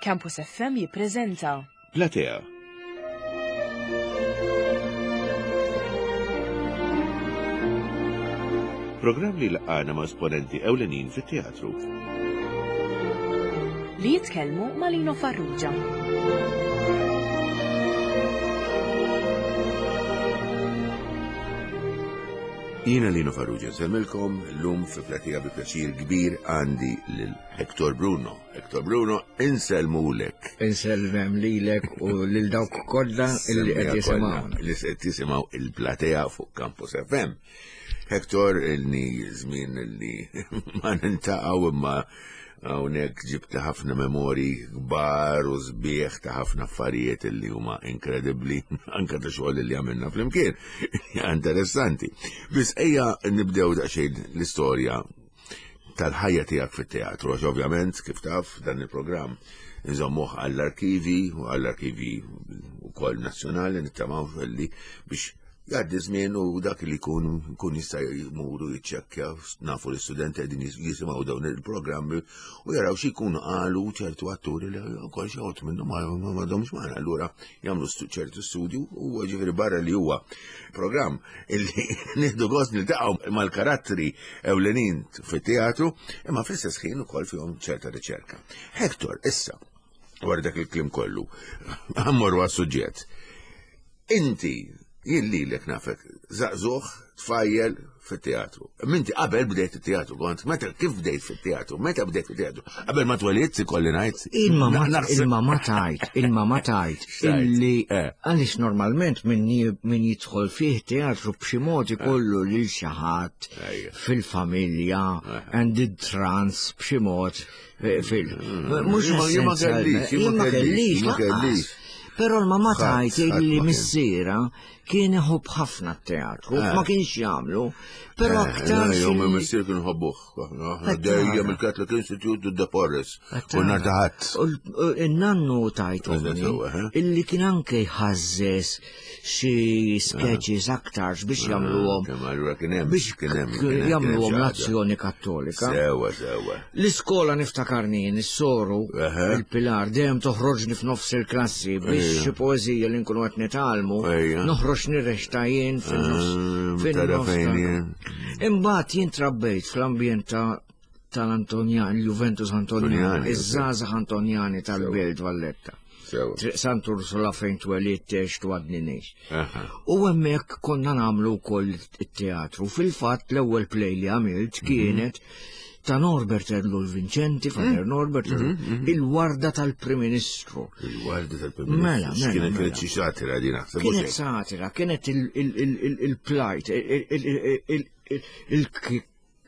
Campus FM jippreżenta Platea. Programm li laqgħana ma' esponenti ewlenin fit-teatru. Li jitkellmu ma' Lino Farrugia. Jiena Lino Farrugia nsellmilkom llum fi Platea bi pjaċir kbir għandi lil Hector Bruno. Hector Bruno, insellmulek. Insellmem lilek u lil dawk kollha illi qed jisimgħu. Li qed jisimgħu il-Platea fuq Campus FM. Hector, ilni żmien li ma nintaqgħu imma hawnhekk ġibt ħafna memori kbar u sbieħ ta' ħafna affarijiet li huma inkredibbli anke ta' xogħol li għamilna flimkien. Interessanti. Biss ejja nibdew daqsxejn l-istorja tal-ħajja tiegħek fit-teatru, għax ovvjament kif taf dan il-programm nżommuh għall-arkivi u għall-arkivi wkoll nazzjonali nittamaw li biex jgħaddi żmien u dak li jkun kun jista' jmuru jiċċekkja nafu l-istudenti qegħdin jisimgħu dawn il-programmi u jaraw xi jkunu qalu ċertu atturi li wkoll xi ħodd minnhom ma m'għadhomx magħna allura jagħmlu ċertu studju u ġifieri barra li huwa programm illi nieħdu gost niltaqgħu mal-karattri ewlenin fit-teatru, imma fl-istess ħin ukoll fihom ċerta riċerka. Hector, issa, wara dak il-kliem kollu, għammorru għas-suġġett. Inti, jien lilek nafek, żagħżugħ, tfajjel fit-teatru. Minti qabel bdejt it-teatru, kont meta kif bdejt fit-teatru, meta bdejt fit-teatru? Qabel ma twelidt ikolli ngħid. Il-mama tajt, il-mama tajt, illi eh. għaliex normalment min jidħol fih teatru b'xi mod ikollu lil xi ħadd fil-familja eh. and the trans b'xi mod eh, fil. Mm. Mhux ma kellix, ma kellix, ma kellix. Però l-mama tajt illi missiera kien iħobb ħafna t-teatru, eh. ma kienx jagħmlu, però eh, aktar. Jom missier kien ħobbuh. Dejjem il-Catholic Institute u The Forest. U nhar ta' ħadd. In-nannu tajt illi kien anke jħażżes xi sketches aktarx biex jagħmluhom. Biex jagħmluhom l-azzjoni kattolika. Sewa, sewa. L-iskola niftakarni jien is-soru il-Pilar dejjem toħroġni f'nofs il-klassi biex xi poeżija li nkunu qed nitgħallmu noħroġ nirrexta jien fin-nofs. Ah, Imbagħad jien trabbejt fl-ambjent ta' tal-Antonjan, il-Juventus Antonjani, iż-żgħażagħ Antonjani tal-Belt Valletta. Triq Sant Ursula fejn twelidt għext u għadni ngħix. U hemmhekk konna nagħmlu wkoll it-teatru. Fil-fatt l-ewwel play li għamilt mhm. kienet ta' Norbert Ellul Vincenti, Father mhm. Norbert, mhm, il-warda tal-Prim Ministru. Il-warda tal-Prim Ministru. Mela, mela. Kienet mela. xi satira din naħseb. Kienet satira, kienet il-plajt,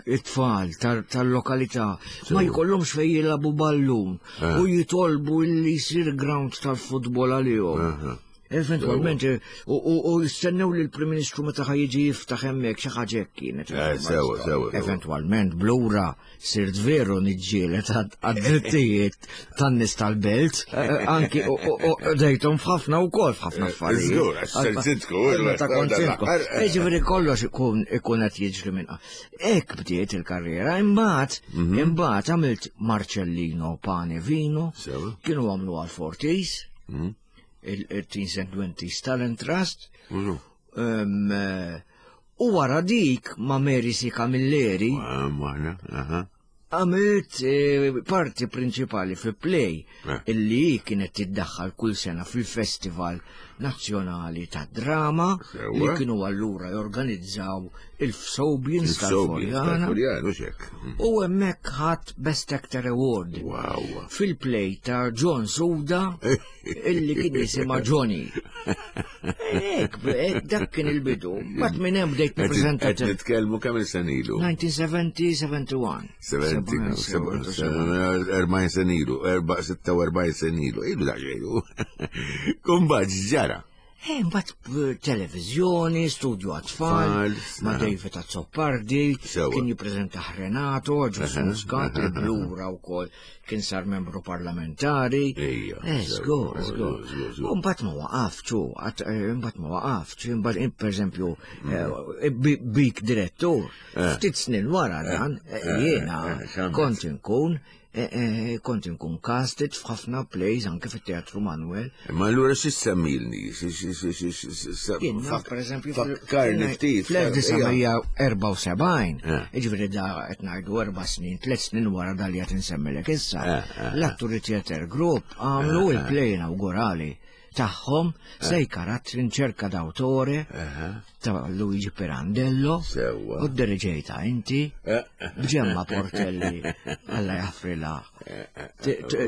it-tfal tal-lokalità ma jkollhomx fejn jilagħbu ballun eh. u jitolbu li jsir ground tal-futbol għalihom. Eh, eh. Eventualment, u jistennew li l-Prim Ministru meta ħajġi jiftaħ hemmhekk xi ħaġa hekk kienet. Sewa, sewa. Eventwalment, blura sirt veru niġġieled għad-drittijiet tan-nies tal-belt, eh, eh, anki u dejtom f'ħafna wkoll f'ħafna eh, affarijiet. Żgur, għax sintku. Meta kont sintku. Ġifieri kollox ikun ikun qed jiġri minn. Hekk bdiet il-karriera, imbagħad mhm. imbagħad għamilt Marcellino Pane Vino, kienu għamlu għal Fortis, mhm. il-Teens and Twenties Talent Trust. Mhm. U wara dik ma' Mary C. Camilleri. Għamilt eh, parti prinċipali fi play eh. illi kienet tiddaħħal kull sena fil-Festival Nazzjonali ta' Drama li kienu allura jorganizzaw il-Fsobians tal-Furjana. Mm. U hemmhekk ħadd Best Actor Award fil-play ta' John Suda illi kien jisimha Johnny. Ek, dak kien il-bidu. Bat minn hemm bdejt nippreżenta. Qed nitkellmu kemm il sen ilu? 1970, 71. 70, 40 sen ilu, 46 sen ilu, ilu daqsxejn. Kumbat ġara. Eh, mbagħad televiżjoni, studju għat-tfal, ma' David Azzopardi, kien jippreżenta Renato, Ġusu Muscat, il-Blura wkoll kien sar membru parlamentari. Eh, żgur, żgur. U mbagħad ma waqafx, eh, mbagħad ma waqafx, mbagħad pereżempju eh, bik direttur, ftit snin wara dan, jiena kont inkun. eh, eh, kont inkun casted f'ħafna plays anke fit-Teatru Manuel. Ma allura xi semmilni? Jien naf, per eżempju, Fakkarni ftit. Fl-1974, Eh. jiġifieri da qed ngħidu erba' snin, tliet snin wara dal li qed insemmilek issa, Eh, l-Atturi Theatre Group għamlu il-play inaugurali tagħhom sej karattri in cerca d'autore ta' Luigi Pirandello Sewwa. u d-diriġejta inti Eh, b'Ġemma Portelli Alla jaffrila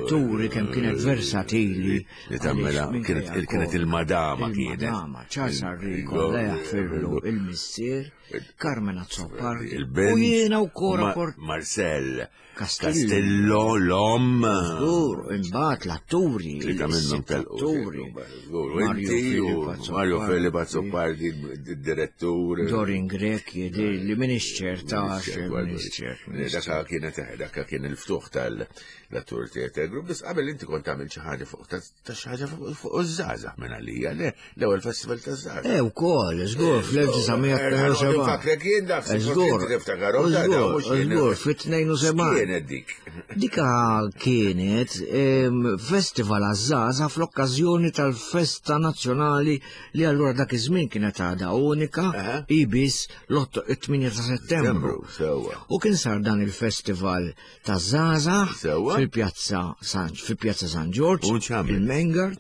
turi kemm kienet versatili Li tagħmilha, għaliex minkejja kienet- kienet kol- il-madama kienet. Il-madama, Charles Arrigo, Alla jaffirlu il-missier, Carmen Azzopardi, Il-bint. u jiena u Cora Ma- Port Marcel. Castillo. Castillo, l-om. Żgur, imbagħad l-atturi, Tlita minnhom is-sitt telqu. atturi. Żgur, inti u Mario Filip Azzopardi, id-direttur. Dorin Grek jidher li minix ċerta għax minix ċert. minix Daka kienet daka kien il-ftuħ tal-Attur Theatre Group, biss qabel inti kont tagħmel xi ħaġa fuq ta' xi ħaġa fuq iż-żgħażagħ minn għalija, le l-ewwel festival taż-żgħażagħ. Eh, ukoll, żgur, fl-1972. Nfakrek jien dak, Żgur, tiftakarhom ta' żgur, mhux jien. żgur, fit-72. Kienet dik. Dika kienet festival għaż-żgħażagħ fl-okkażjoni tal-festa nazzjonali li allura dak iż-żmien kienet għadha unika Aha. ibis l-8 ta' Settembru. Sewwa. U kien sar dan il-festival ta' żgħażagħ Sewwa. fil-pjazza San fil-pjazza San Ġorġ, U x'għamilt? il-Mengard,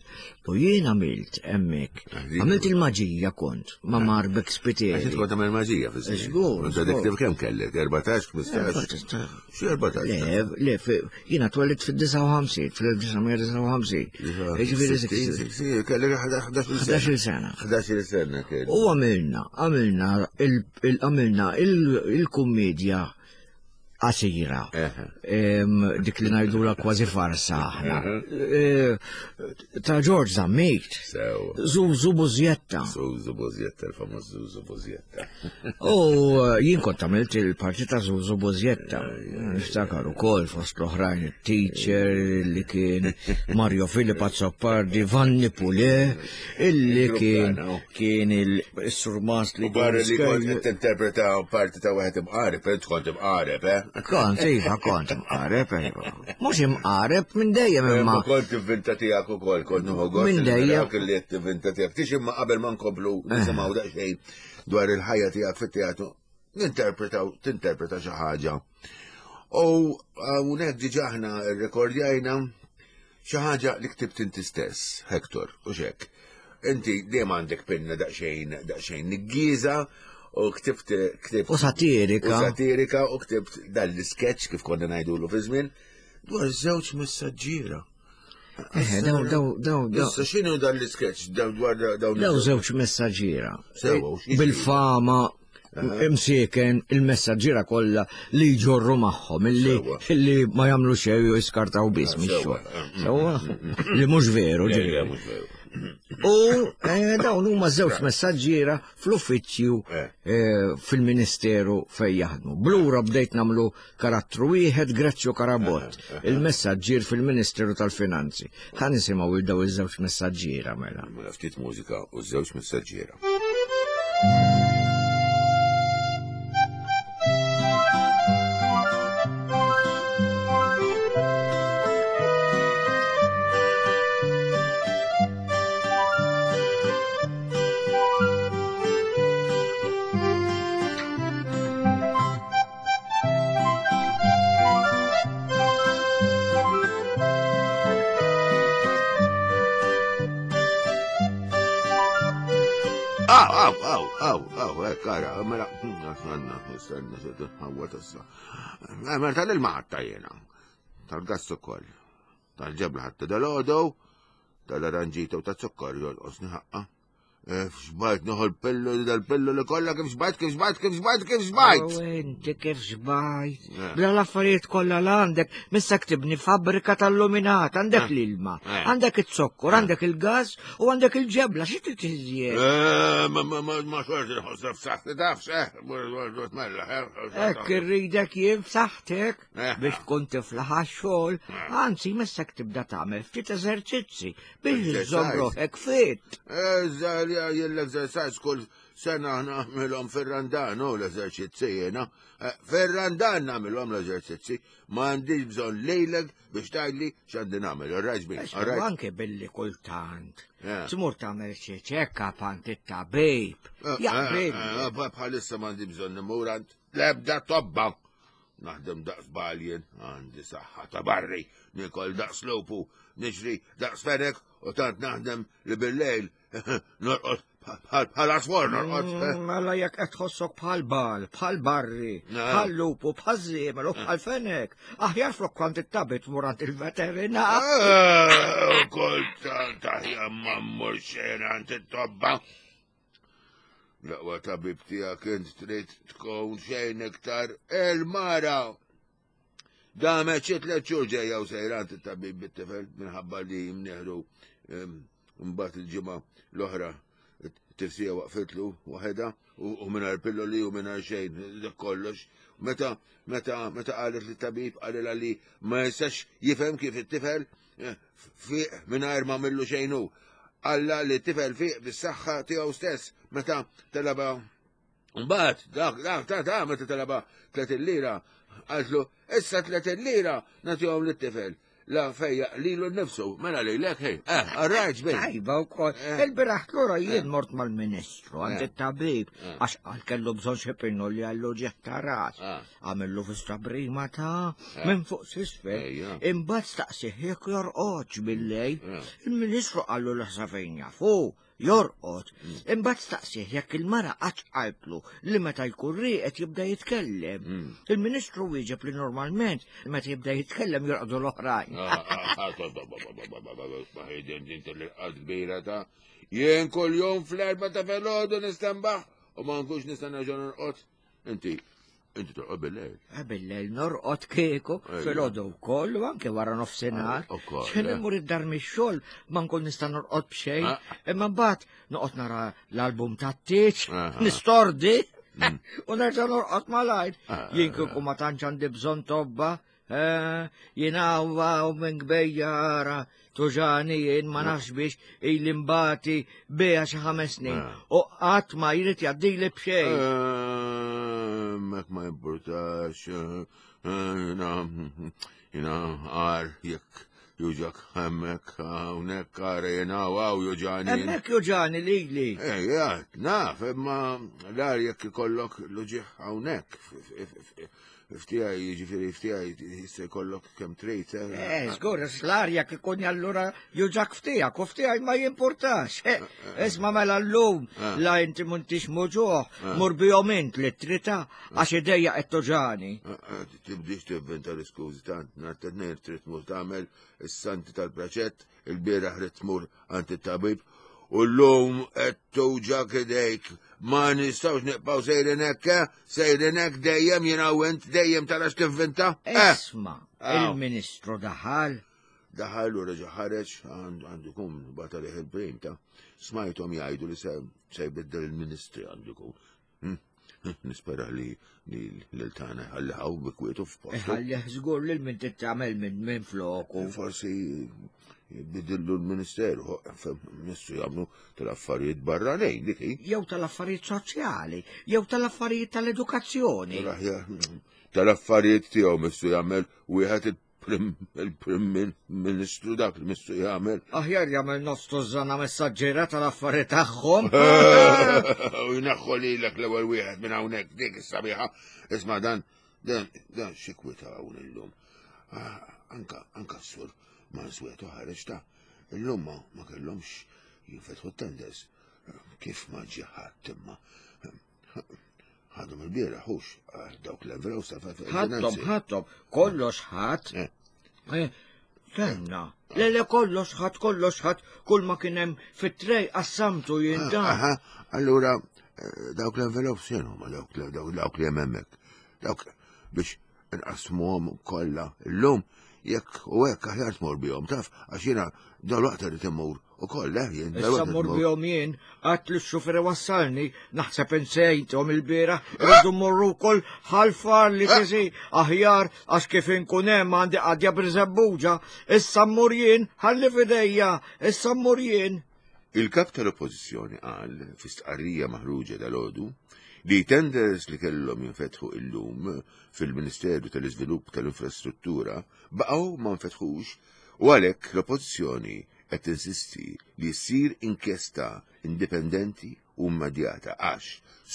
u jien għamilt hemmhekk. Dik- Għamilt il-maġija kont ma' Marbek Għax Spiteri. inti kont tagħmel maġija fi żmien. Żgur, Inta dik żgur. kemm kellek? 14, 15? Xi 14? Le, le, jiena twellidt fil-59, fil-1959. Jiġifieri Ġifieri kellek 11 sena. 11 sena. 11 sena kellek. U għamilna, għamilna, għamilna il-kummedja qasira. Eħe. Dik li ngħidula kważi farsa aħna. Ta' George Zammit. Sew. Zuzu Bużjetta. Zuzu Bużjetta, il-famuż Zuzu Bużjetta. U jien kont għamilt il-parti ta' Zuzu Bużjetta. Niftakar ukoll fost l-oħrajn il-teacher li kien Mario Filip Azzopardi, Vanni Pule, illi kien kien il-surmast li U barra li kont qed tinterpreta parti ta' wieħed imqareb, int kont imqareb, eh? Kont, iva, kont imqareb, iva. Mhux imqareb minn dejjem imma. Ma kont tivvinta tiegħek ukoll, kont nieħu gost. Minn dejjem. Dak li qed tivvinta tiegħek. Tix imma qabel ma nkomplu nisimgħu daqsxejn dwar il-ħajja tiegħek fit-teatru, ninterpretaw, tinterpreta xi ħaġa. U hawnhekk diġà aħna rrekordjajna xi ħaġa li ktibt inti stess, Hector, u xek. Inti dejjem għandek pinna daqsxejn daqsxejn niggieża u ktibt ktibt U satirika. U satirika u ktibt dan l-sketch kif konna ngħidulu fi żmien dwar żewġ messaġġiera. Eh, daw, daw, daw, daw. Issa x'inhu dan l-sketch daw dwar dawn Daw żewġ messaġġiera. Sewa, u x'jiġri? Bil-fama imsieken il-messaġġiera kollha li jġorru magħhom illi Sewa. illi ma jagħmlu xejn u jiskartaw biss Sewa. mix-xogħol. Sewa, li mhux veru Le, le, ġifieri. mhux veru. U dawn huma żewġ messaġġiera fl-uffiċċju Eh. fil-Ministeru fejn jaħdmu. Blura bdejt nagħmlu karattru wieħed Grezzio Karabott, il-messaġġier fil-Ministeru tal-Finanzi. Ħa nisimgħu il daw iż-żewġ messaġġiera mela. Mela ftit mużika u żewġ messaġġiera. Aw, aw, aw, aw, aw, hekk ara, mela, stenna, stenna, se tinħawwat issa. Mela tal-ilma ħatta jiena, tal-gass ukoll, tal-ġebla ħatta dal-għodu, tal-aranġita u tal-zokkor jolqosni ħaqqa. Xbajt noħol pillu dal-pillu li kollha kif xbajt, kif xbajt, kif xbajt, kif xbajt. U inti kif xbajt. Eh. Bla l-affarijiet kollha l għandek, missak tibni fabbrika tal-luminat, għandek Eh. l-ilma, Eh. għandek it-zokkor, għandek il-gas u għandek il-ġebla, xi trid iżjed? Ma ma ma ma xorti nħossha f'saħħti tafx, eh, mella, eh. Ekk irridek jien f'saħħtek Eh. biex tkun tiflaħ għax-xogħol, anzi missek tibda tagħmel ftit eżerċizzi biex Exercise. iżżomm ruħek fit. Eżatt, jien l-exercise kull sena nagħmilhom fir-Randan u l-eżerċizzi jiena. Eh, fir-Randan nagħmilhom l-eżerċizzi, ma għandix bżonn lejlek biex tgħidli x'għandi nagħmel, all right, all right. Anke billi kultant. Eh. Tmur tagħmel xi check-up għand it-tabib. Eh, Jaqbel. Bħalissa m'għandi bżonn imur għand l-ebda tobba. Naħdem daqs baljen, għandi saħħa ta' barri, nikol daqs lupu, niġri daqs fenek u tant naħdem li bil-lejl norqod bħal aswar norqod. Mm, mela jekk qed tħossok bħal bal, bħal barri, bħal lupu, bħal żiemel u bħal fenek, aħjar flok kont it-tabit tmur għand il-veterinar. Eh, kultant aħjar ma mmur xejn għand it-tobba. L-aqwa tabib tiegħek int trid tkun xejn iktar il-mara. Damet xi tliet xhur ġejja u sejra għand it-tabib bit-tifel minħabba li mneħru mbagħad il-ġimgħa l-oħra tifsija waqfitlu waħedha u mingħajr pilloli u mingħajr xejn dak kollox. Meta meta meta qalet li tabib qalilha li ma jistax jifhem kif it-tifel eh, fiq mingħajr ma millu xejn hu. Alla li t-tifel fiq bis-saħħa tiegħu stess meta talaba Mbagħad dak dak ta' ta' meta talaba 30 lira qaltlu issa 30 lira nagħtihom lit-tifel. La fejja lilu nnifsu, mela lilek ħej. Eh, arrajt bejn. Tajba wkoll. Eh. Il-biraħ lura jien eh. mort mal-Ministru għand eh. it-tabib għax qal kellu bżonn xi li għallu ġieħ ta' ras. Għamillu fista brima ta' minn fuq s'isfel. Imbagħad staqsih jekk jorqodx bil-lejl. Il-Ministru qallu l fejn jafu jorqod. Mm. Imbagħad staqsih jekk il-mara qatt qaltlu li meta jkun rieqed jibda jitkellem. Mm. Il-Ministru wieġeb li normalment meta jibda jitkellem jorqdu l-oħrajn. Ah, ah, ah, Jien kull jum fl-erba ta' filgħodu nistenbaħ u ma nkunx nista' nerġa' norqod. Inti, inti torqod bil-lejl. Eh, bil-lejl norqod kieku, filgħodu wkoll u anke wara nofsinhar. Ah, Xejn eh. immur id-dar mix-xogħol ma nkun nista' norqod b'xejn. Ah. Imma mbagħad noqgħod nara l-album tat-tieġ, nistordi mm. u nerġa' norqod malajr. Ah. Jien kieku ma tantx għandi bżonn tobba, Eh, jien għawwa u minn gbejjara tuġani jien ma nafx biex ili mbati bija xi ħames snin. Eh. U qatt ma jrid jgħaddili b'xejn. Eh, mek ma importax, jina jina għar jekk juġak hemmhekk hawnhekk għar jina għaw juġani. Hemmhekk juġani lili. Ejja, naf, imma l-għar jekk ikollok l-uġigħ hawnhekk Ftijaj, jiġifieri ftijaj jista' jkollok kemm trid. Eh, eh żgur, l-arja kikun allura juġak ftijak u ftijaj ma jimpurtax. Eh, eh, isma' mela llum la inti m'intix muġuħ, mur bihom int li trita għax idejja qed tuġani. Tibdix tivvinta l-iskużi tant nhar tnejn trid tmur tagħmel is-santi tal-praċett Il-bieraħ ridt tmur għand it-tabib u llum qed tuġak idejk. Ma nistgħux nibqgħu sejrin hekk, eh? Sejrin hekk dejjem jiena u int dejjem tara x'tivvinta. Eh? Isma, il-Ministru daħal. Daħal u reġa' ħareġ għandu jkun bata liħ il-prim ta' smajthom jgħidu li se jbiddel il-Ministri għandu jkun. Hmm. Nispera li l-tana ħalli ħaw bi kwietu f'postu. Ħalli żgur lil min tittamel minn min floku. Forsi bidillu l-ministeru, missu jagħmlu tal-affarijiet barranin dik hi. Jew tal-affarijiet soċjali, jew tal-affarijiet tal-edukazzjoni. Tal-affarijiet tiegħu missu jagħmel wieħed Il-Prim Ministru dak li missu jagħmel. Aħjar jagħmel nofs tużżana messaġġiera tal-affari tagħhom. U jneħħu lilek l-ewwel wieħed minn hawnhekk dik is-sabiħa. Isma' dan dan dan xi kwita hawn illum. Ah, anka anka s-sur Mansweto ħareġ ta' illum ma kellhomx jinfetħu t-tenders. Kif ma ġie ħadd imma Ħadhom il-bieraħ hux ah, dawk l-envelopes ta' Ħadhom, ħadhom, kollox ħadd. Eh. Eh, Kenna. Le le kollox ħadd, kollox ħadd, kull ma kien hemm fit-trej qassamtu jien ah, dan. Allura eh, dawk l-envelopes x'inhu ma dawk dawk li hemm hemmhekk. Dawk biex nqasmuhom kollha llum jekk u hekk aħjar tmur bihom taf għax jiena dalwaqt irid immur ukoll eh jien. Issa mmur bihom jien għad li x-xufer wassalni naħseb insejthom il-bieraħ irridu mmorru wkoll ħalfar li eh? tiżi aħjar għax kif inkun hemm għandi qadja birżebbuġa issa mmur jien ħalli f'idejja issa mmur jien. Il-Kap tal-Oppożizzjoni qal fi stqarrija maħruġa dalgħodu li tenders li kellhom jinfetħu illum fil-Ministeru tal-Iżvilupp tal-Infrastruttura baqgħu ma nfetħux u għalhekk l-Oppożizzjoni qed tinsisti li ssir inkjesta indipendenti u immedjata għax,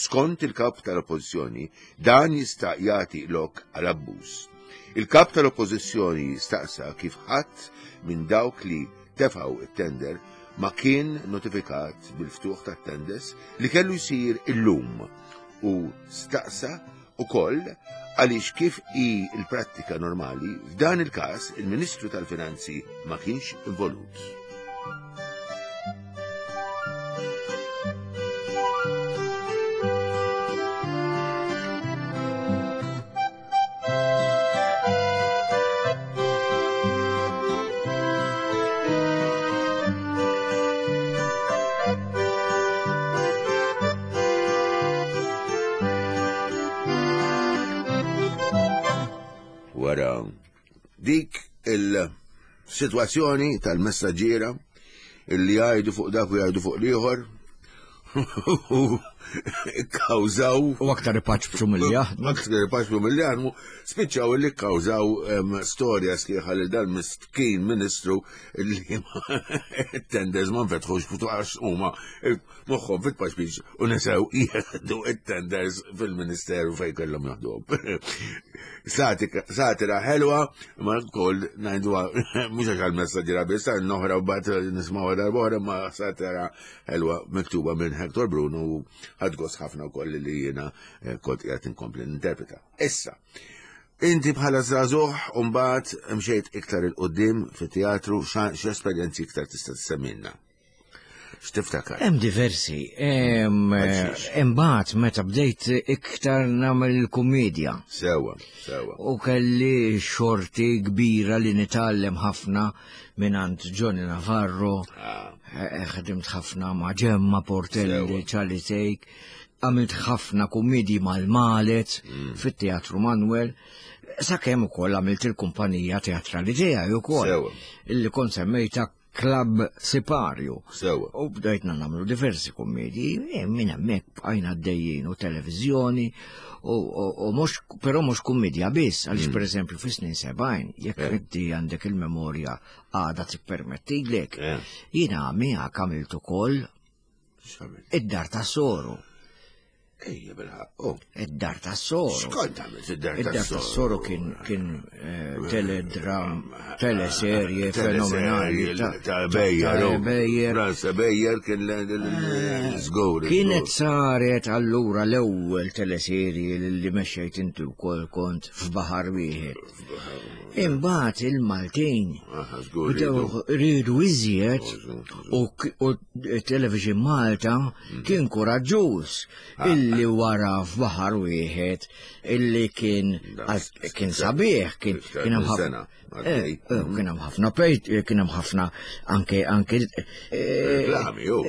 skont il-Kap tal-Oppożizzjoni, dan jista' jagħti lok għal abbuż. Il-Kap tal-Oppożizzjoni staqsa kif ħadd minn dawk li tefgħu it-tender ma kien notifikat bil-ftuħ tat-tenders li kellu jsir illum u staqsa ukoll għaliex kif hi l-prattika normali, f'dan il-każ il-Ministru tal-Finanzi ma kienx involut. Wara dik il-sitwazzjoni tal-messaġġiera illi jgħidu fuq dak u jgħidu fuq l-ieħor u kkawżaw. U aktar ipaċbċu milli jaħdmu. Aktar ipaċbċu milli jaħdmu, spiċċaw illi kkawżaw storja sħiħa li dan miskin ministru li tenders ma nfetħux għax huma moħħhom fit-paċbiċ u nesew jieħdu it-tenders fil-ministeru fejn kellhom jaħduhom. Satira ħelwa, ma wkoll ngħidu mhux għax għall-messaġġiera biss, noħra u bat nismgħu darba ma satira ħelwa miktuba minn Hector Bruno u ħadd gost ħafna wkoll li jiena eh, kont qiegħed inkompli ninterpreta. Issa, inti bħala żagħżugħ u mbagħad mxejt iktar il-qudiem fit-teatru x'esperjenzi iktar tista' tissemmilna? X'tiftakar? Hemm diversi. Imbagħad meta bdejt iktar nagħmel il-kumedja. Sewa, sewa. U kelli xorti kbira li nitgħallem ħafna mingħand Johnny Navarro, ah. eh, ħdimt ħafna ma' Ġemma Portelli, Charlie Take, għamilt ħafna kummedji mal-Malet mm. fit-Teatru Manuel, sakemm ukoll għamilt il-kumpanija teatrali tiegħi ukoll illi kont semmejta Club Siparju. Sewa. U bdejtna nagħmlu diversi kummedji, e, minn hemmhekk bqajna għaddejjin u televiżjoni u mhux però mhux kummedja biss, għaliex mm. pereżempju fis-snin 70, jekk eh. inti għandek il-memorja għada tippermettilek, eh. jiena miegħek għamilt ukoll id-dar ta' soru. Ejja bil-ħaq. Oh. Id-dar ta' soru. Xkont għamilt id-dar ta' soru? Id-dar ta' soru kien kien eh, teledram, teleserje fenomenali. Ta' Bejjer. Oh. Bejjer. Franza Bejjer kien l-żgur. Eh, kienet saret allura l-ewwel teleserje li mexxejt inti wkoll kont f'baħar wieħed. Imbagħad il-Maltin bdew riedu iżjed u Television Malta mm. kien kuraġġuż ah. illi wara f'baħar wieħed illi kien kien sabiħ kien kien hemm ħafna eh, eh, kien hemm ħafna pejt eh, kien hemm ħafna anke anke reklami jew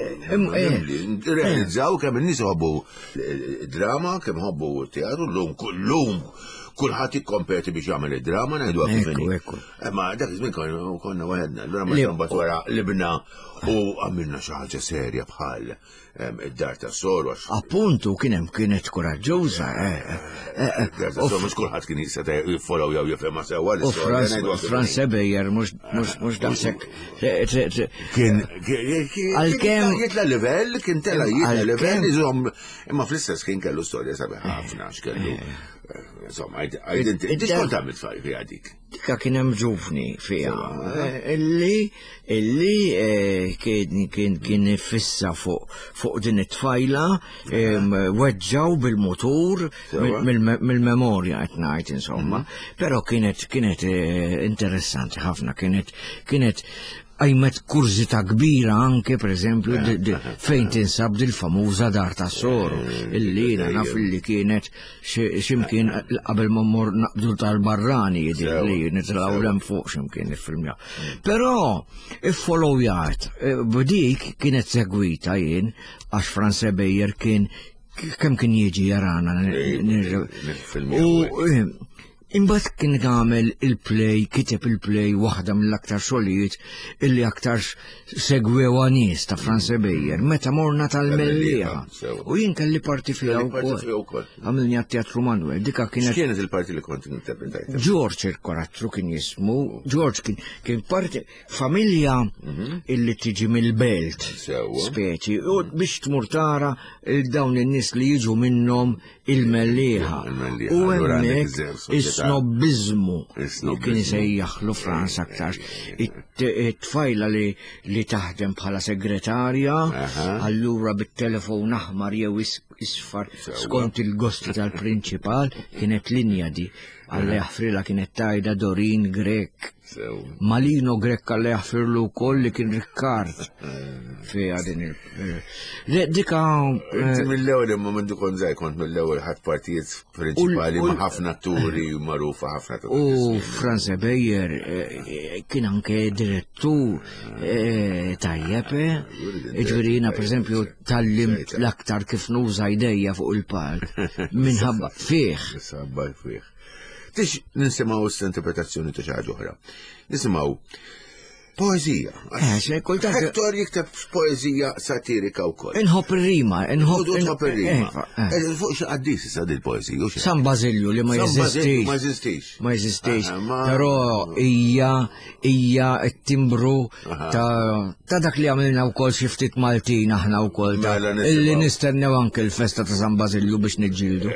realizzaw kemm in-nies ħobbu drama kemm ħobbu teatru llum kullum kulħadd jikkompeti biex jagħmel id-drama ngħidu kif Ma dak iż-żmien konna waħedna, allura meta mbagħad wara libna u għamilna xi ħaġa serja bħal id-dar ta' soru. Appuntu kien hemm kienet kuraġġuża. Eh, eh, eh, dar ta' soru mhux kulħadd kien jista' jiffollow jew jifhimha sewwa l-istorja. Franz Sebejer mhux daqshekk. Kien għalkemm jitla livell, kien tela jitla livell, iżomm imma fl-istess kien kellu storja sabiħ ħafna x'kellu. Insomma, għajdinti, inti xkont għamilt fiha dik? Dika kien hemm ġuvni fiha eh, illi illi eh, kien kien kien fissa fuq fuq din it-tfajla weġġaw bil-mutur mill-memorja qed ngħid insomma, mhm. però kienet kienet eh, interessanti ħafna kienet kienet għajmet kurżità kbira anke per eżempju fejn tinsab dil-famuża dar ta' soru illi jiena naf illi kienet ximkien qabel ma mmur naqbdu tal-barrani jidir li nitilgħu l fuq ximkien iffilmja. Però iffollowjat eh, b'dik kienet segwita jien għax Franz Beyer kien kemm kien jiġi jarana. U eh, Imbagħad kien għamel il-play, kiteb il-play waħda mill-aktar xogħlijiet illi aktar segwewa nies ta' Franz Beyer meta morna tal-Mellieħa. U jien kelli parti fiha wkoll. Għamilni għat-Teatru Manuel, dika kienet. X'kienet il-parti li kont interpretajt? George il-karattru kien jismu, George kien kien parti familja mhm. illi tiġi mill-belt. Speċi, u biex tmur tara dawn in-nies li jiġu minnhom Il-Mellieħa. U hemmhekk is-snobbiżmu kien isejjaħlu Franz aktar. It-tfajla li li taħdem bħala segretarja, allura bit-telefon aħmar jew isfar skont il-gosti tal-prinċipal kienet linja di. Alla jaħfrilha kienet tajda Dorin Grek. Malino Grek Alla jaħfirlu wkoll li kien Rikkard fiha din il. Le, dika. Eh, Inti mill-ewwel imma minn kont żgħir kont mill-ewwel ħadd partijiet prinċipali ma' ħafna atturi magħrufa ħafna ta' U Franz Beyer eh, kien anke direttur eh, tajjeb, ġifieri jiena pereżempju tallimt l-aktar kif nuża jdejja fuq il-palk minħabba fih. Minħabba fih. Tix nisimgħu s-interpretazzjoni ta' xi ħaġa oħra. Nisimgħu poezija. Eh, kultant. Hector jikteb poezija satirika wkoll. Inħobb ir-rima, inħobb ir-rima. Eh, eh. Fuq xi qaddis issa din poezija. San Bażilju li ma jeżistix. Ma jeżistix. Ma jeżistix. Però hija hija t-timbru ta' dak li għamilna wkoll xi ftit Maltin aħna wkoll mela illi nistennew anke l-festa ta' San Bażilju biex niġġieldu.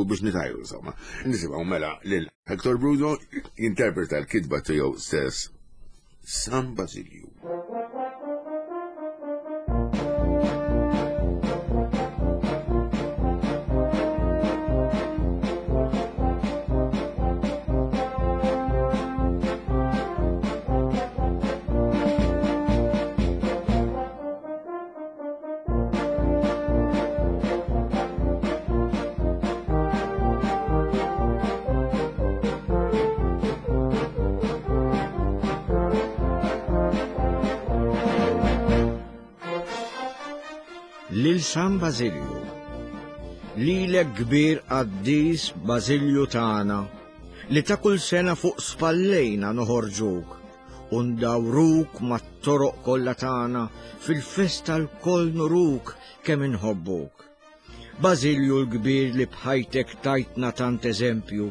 Biex nitajru insomma. Nisimgħu mela lil Hector Bruno jinterpreta l-kitba tiegħu stess San Basilju. Lil San Bażilju. Lilek kbir qaddis Bażilju tagħna, li ta' kull sena fuq spallejna noħorġuk u ndawruk mat-toroq kollha tagħna fil-festa lkoll nuruk kemm inħobbuk. Bażilju l-kbir li b'ħajtek tajtna tant eżempju,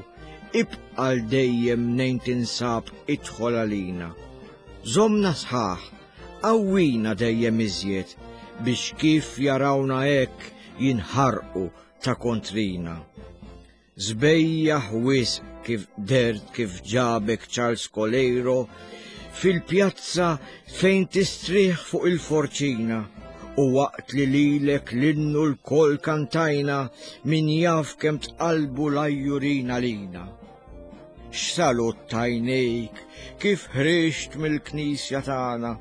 ibqa' għal dejjem mnejn tinsab idħol għalina. Żommna sħaħ, qawwina dejjem iżjed biex kif jarawna hekk jinħarqu ta' kontrina. Sbejjaħ wisq kif dehrt kif ġabek Charles Coleiro fil-pjazza fejn tistrieħ fuq il-forċina u waqt li lilek l-innu lkoll kantajna min jaf kemm tqallbu l-għajjurin għalina. X'salut t'għajnejk kif ħriġt mill-knisja tagħna,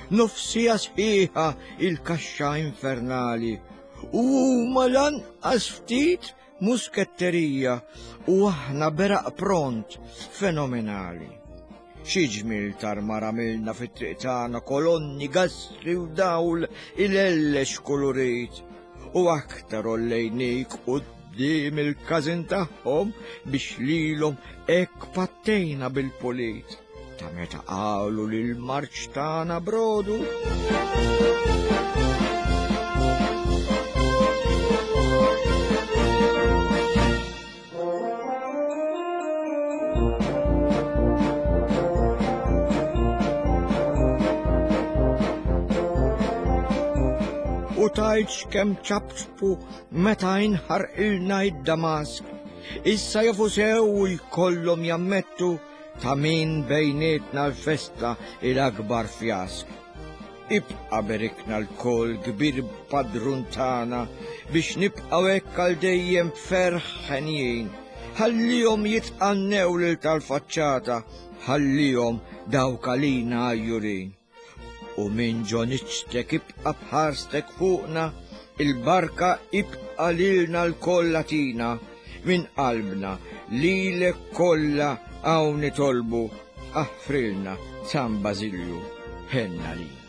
nofsija sħiħa il-kaxxa infernali u huma lanqas ftit Musketterija u aħna beraq pront fenomenali. Xi ġmiel tarmar għamilna fit-triq tagħna kolonni, gastri u dawl ilellex kulurit u aktar ollejnik quddiem il-każin tagħhom biex lilhom hekk pattejna bil-pulit. Ta' meta qalu li l-marċ tagħna brodu. U tajtx kemm ċapċpu meta inħarqilna id-Damask. Issa jafu sew u jkollhom jammettu Ta' min bejnietna l-festa hi l-akbar fjask. Ibqa' berikna lkoll kbir padrun tagħna biex nibqgħu hekk għal dejjem b'ferħ henjin. Ħallihom jitqannew lil tal-faċċata, ħallihom dawk għalina għajjurin. U minn ġo niċtek ibqa' b'ħarstek fuqna, il-barka ibqa' lilna lkoll agħtina, minn qalbna lilek kollha hawn nitolbu, aħfrilna San Bażilju, ħenn għalina.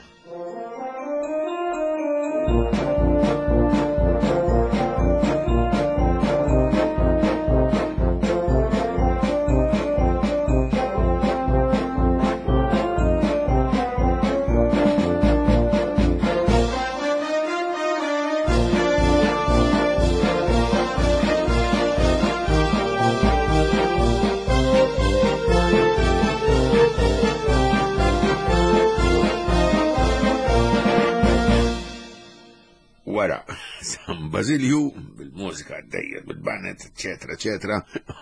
Bażilju, bil-mużika għaddejja, bil-banet, eċetera, eċetera,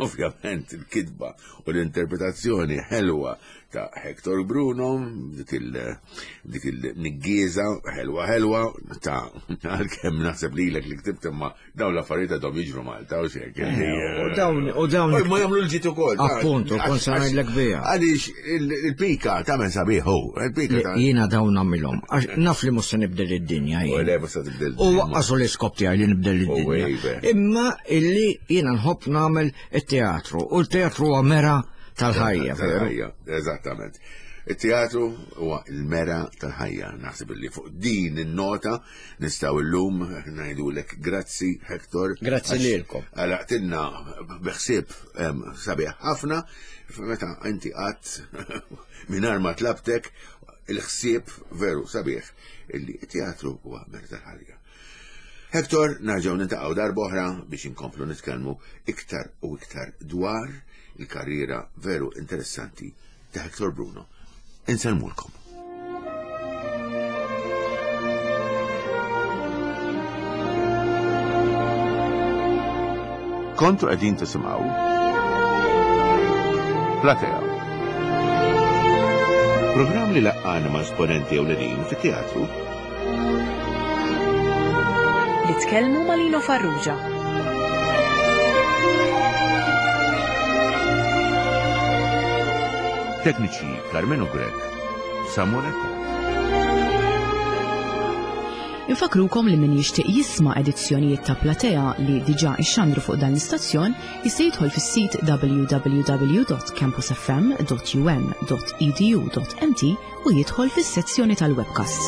ovvjament il-kitba u l-interpretazzjoni ħelwa ta' Hector Bruno, dik il-niggieza ħelwa ħelwa ta' għalkemm naħseb lilek li ktibt imma dawn l-affarijiet għadhom jiġru Malta u xek. Eh, u dawn u dawn. Ma jagħmlu l-ġid ukoll. Appuntu, kont se ngħidlek biha. Għaliex il-pika tagħmel sabiħ hu, il-pika Jiena dawn nagħmilhom. Għax naf li mhux se nibdel id-dinja jien. Le mhux se tibdel. U waqqasu l-iskop tiegħi li nibdel id-dinja. Imma illi jiena nħobb nagħmel it-teatru u l-teatru huwa mera tal-ħajja. Tal-ħajja, eżattament. Il-teatru huwa l-mera tal-ħajja. Naħseb li fuq din in-nota nistgħu llum ngħidulek grazzi Hector. Grazzi lilkom. Għalaqtilna biħsieb sabiħ ħafna meta inti qatt mingħajr ma tlabtek il-ħsieb veru sabiħ illi t-teatru huwa mera tal-ħajja. Hector, nerġgħu nintaqgħu darb'oħra biex inkomplu nitkellmu iktar u iktar dwar il-karriera veru interessanti ta' Hector Bruno. Insellmulkom. Kontu qegħdin tisimgħu Platea. Programm li laqqana ma' esponenti ewlenin fit-teatru Li tkellmu ma' Lino Farrugia. Tekniċi Carmenu Grech, Samuel Eko. Infakrukom li min jixtieq jisma' edizzjonijiet ta' Platea li diġà ixxandru fuq dan l-istazzjon jista' jidħol fis-sit www.campusfm.um.edu.mt u jidħol fis-sezzjoni tal-webcasts.